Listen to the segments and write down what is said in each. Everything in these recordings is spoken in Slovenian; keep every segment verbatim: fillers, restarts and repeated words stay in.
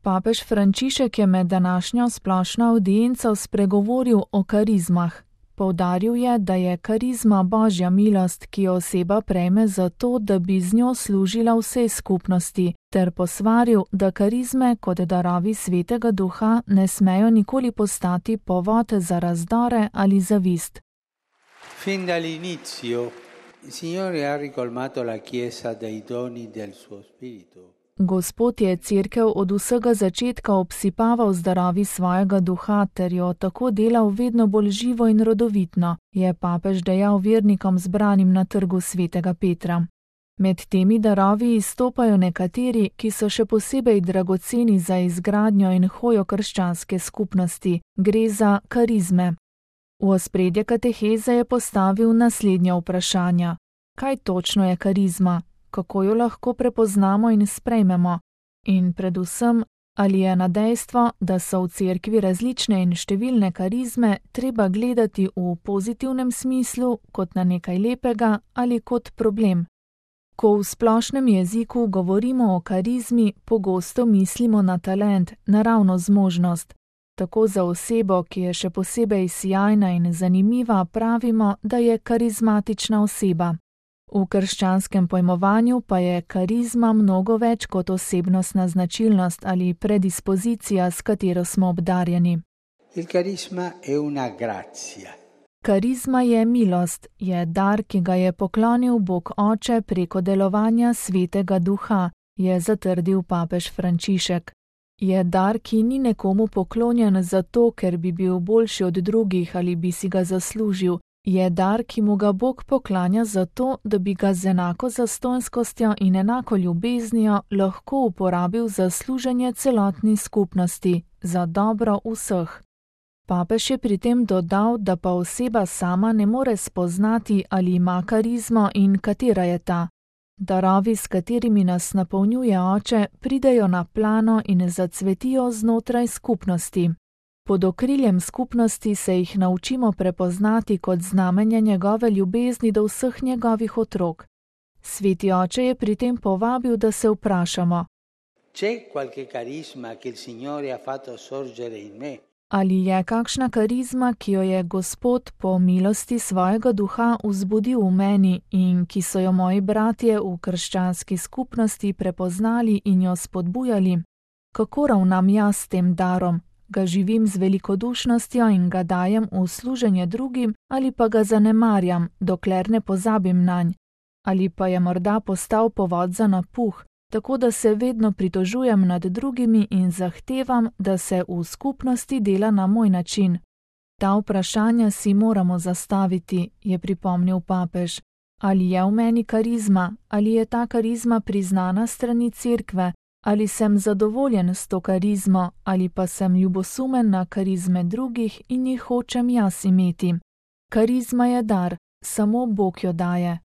Papež Frančišek je med današnjo splošno avdienco spregovoril o karizmah. Poudaril je, da je karizma božja milost, ki jo oseba prejme zato, da bi z njo služila vsej skupnosti, ter posvaril, da karizme kot darovi Svetega Duha ne smejo nikoli postati povod za razdore ali zavist. Fin dall'inizio, il Signore ha ricolmato la Chiesa dei doni del suo Spirito. Gospod je cerkev od vsega začetka obsipaval z darovi svojega duha ter jo tako delal vedno bolj živo in rodovitno, je papež dejal vernikom zbranim na trgu Svetega Petra. Med temi darovi izstopajo nekateri, ki so še posebej dragoceni za izgradnjo in hojo krščanske skupnosti. Gre za karizme. V ospredje kateheze je postavil naslednja vprašanja. Kaj točno je karizma? Kako jo lahko prepoznamo in sprejmemo? In predvsem, ali je na dejstvo, da so v cerkvi različne in številne karizme, treba gledati v pozitivnem smislu, kot na nekaj lepega ali kot problem? Ko v splošnem jeziku govorimo o karizmi, pogosto mislimo na talent, naravno zmožnost. Tako za osebo, ki je še posebej sijajna in zanimiva, pravimo, da je karizmatična oseba. V krščanskem pojmovanju pa je karizma mnogo več kot osebnostna značilnost ali predispozicija, s katero smo obdarjeni. Il carisma è una grazia. Karizma je milost, je dar, ki ga je poklonil Bog Oče preko delovanja Svetega Duha, je zatrdil papež Frančišek. Je dar, ki ni nekomu poklonjen zato, ker bi bil boljši od drugih ali bi si ga zaslužil. Je dar, ki mu ga Bog poklanja zato, da bi ga z enako zastonjskostjo in enako ljubeznijo lahko uporabil za služenje celotni skupnosti, za dobro vseh. Papež je pri tem dodal, da pa oseba sama ne more spoznati, ali ima karizmo in katera je ta. Darovi, s katerimi nas napolnjuje Oče, pridejo na plano in zacvetijo znotraj skupnosti. Pod okriljem skupnosti se jih naučimo prepoznati kot znamenje njegove ljubezni do vseh njegovih otrok. Sveti Oče je pri tem povabil, da se vprašamo: C'è qualche carisma che il Signore ha fatto sorgere in me? Ali je kakšna karizma, ki jo je Gospod po milosti svojega duha vzbudil v meni in ki so jo moji bratje v krščanski skupnosti prepoznali in jo spodbujali? Kako ravnam jaz s tem darom? Ga živim z velikodušnostjo in ga dajem v služenje drugim ali pa ga zanemarjam, dokler ne pozabim nanj? Ali pa je morda postal povod za napuh, tako da se vedno pritožujem nad drugimi in zahtevam, da se v skupnosti dela na moj način? Ta vprašanja si moramo zastaviti, je pripomnil papež. Ali je v meni karizma, ali je ta karizma priznana strani cerkve, ali sem zadovoljen s to karizmo, ali pa sem ljubosumen na karizme drugih in jih hočem jaz imeti. Karizma je dar, samo Bog jo daje.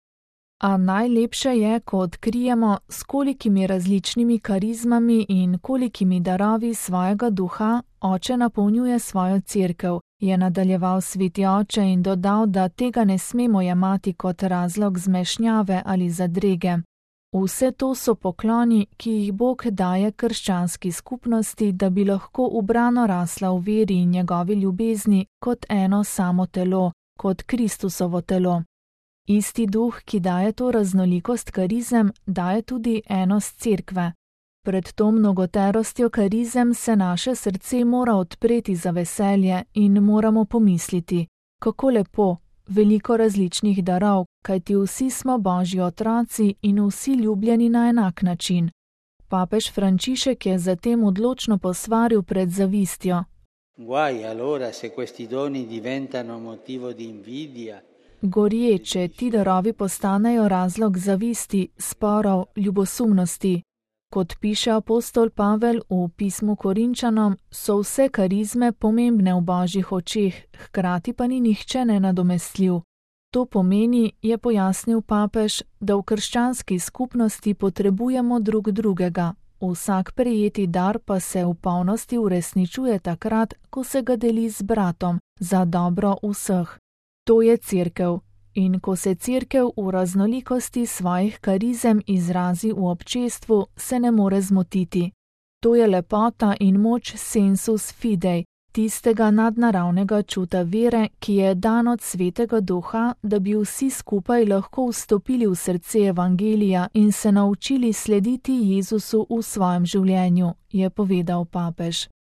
A najlepše je, ko odkrijemo, s kolikimi različnimi karizmami in kolikimi darovi svojega duha Oče napolnjuje svojo cerkev, je nadaljeval Sveti Oče in dodal, da tega ne smemo jemati kot razlog zmešnjave ali zadrege. Vse to so pokloni, ki jih Bog daje krščanski skupnosti, da bi lahko ubrano rasla v veri in njegovi ljubezni kot eno samo telo, kot Kristusovo telo. Isti duh, ki daje to raznolikost karizem, daje tudi enost cerkve. Pred to mnogoterostjo karizem se naše srce mora odpreti za veselje in moramo pomisliti, kako lepo, veliko različnih darov, kajti vsi smo Božji otroci in vsi ljubljeni na enak način. Papež Frančišek je zatem odločno posvaril pred zavistjo. Guai allora se questi doni diventano motivo di invidia. Gorje, če ti darovi postanejo razlog zavisti, sporov, ljubosumnosti. Kot piše apostol Pavel v pismu Korinčanom, so vse karizme pomembne v Božjih očeh, hkrati pa ni nihče nenadomestljiv. To pomeni, je pojasnil papež, da v krščanski skupnosti potrebujemo drug drugega. Vsak prejeti dar pa se v polnosti uresničuje takrat, ko se ga deli z bratom, za dobro vseh. To je cerkev. In ko se cerkev v raznolikosti svojih karizem izrazi v občestvu, se ne more zmotiti. To je lepota in moč sensus fidei, tistega nadnaravnega čuta vere, ki je dan od Svetega Duha, da bi vsi skupaj lahko vstopili v srce evangelija in se naučili slediti Jezusu v svojem življenju, je povedal papež.